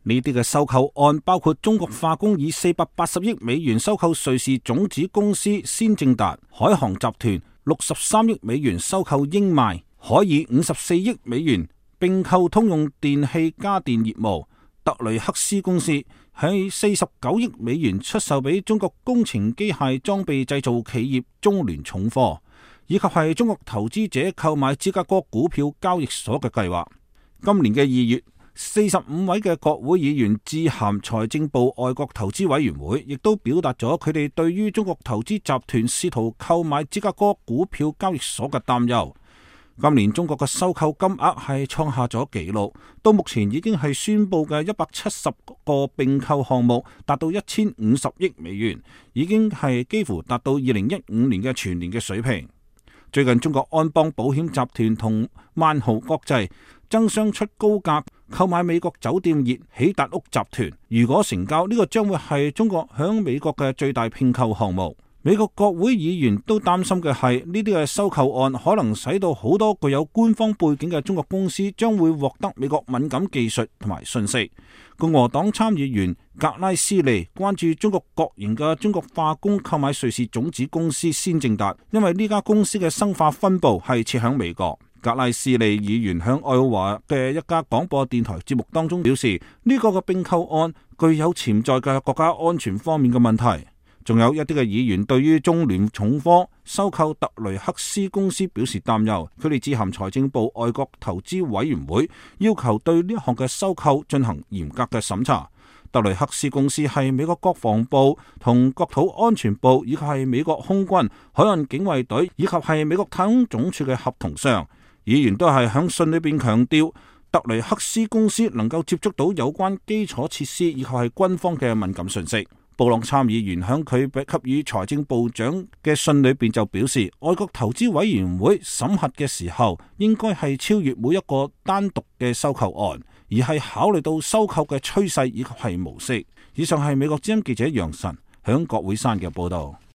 呢啲嘅收購案包括中國化工以480億美元收購瑞士種子公司先正達，海航集團63億美元收購英邁，可以54億美元併購通用電氣家電業務，特雷克斯公司喺49億美元出售俾中國工程機械裝備製造企業中聯重科，以及係中國投資者購買芝加哥股票交易所嘅計劃。今年嘅2月，45位嘅國會議員致函財政部外國投資委員會，亦都表達咗佢哋對於中國投資集團試圖購買芝加哥股票交易所嘅擔憂。今年中國嘅收購金額係創下咗紀錄，到目前已經係宣布嘅170個併購項目達到1050億美元，已經係幾乎達到2015年嘅全年嘅水平。最近中國安邦保險集團同萬豪國際爭相出高價購買美國酒店業喜達屋集團，如果成交，呢個將會係中國響美國嘅最大併購項目。美國國會議員都擔心嘅係呢啲嘅收購案可能使到好多具有官方背景嘅中國公司將會獲得美國敏感技術同埋信息。共和黨參議員格拉斯利關注中國國營嘅中國化工購買瑞士種子公司先正達，因為呢家公司嘅生化分部係設響美國。格拉斯利議員響愛奧華嘅一家廣播電台節目當中表示，呢個嘅併購案具有潛在嘅國家安全方面嘅問題。仲有一啲嘅議員對於中聯重科收購特雷克斯公司表示擔憂，佢哋致函財政部外國投資委員會，要求對呢項嘅收購進行嚴格嘅審查。特雷克斯公司係美國國防部同國土安全部，以及係美國空軍、海岸警衛隊以及係美國太空總署嘅合同商。議員都係響信裏邊強調，特雷克斯公司能夠接觸到有關基礎設施以及係軍方嘅敏感信息。布朗參議員響佢給予財政部長嘅信裏邊就表示，外國投資委員會審核嘅時候，應該係超越每一個單獨嘅收購案，而係考慮到收購嘅趨勢以及係模式。以上係美國之音記者楊晨響國會山嘅報道。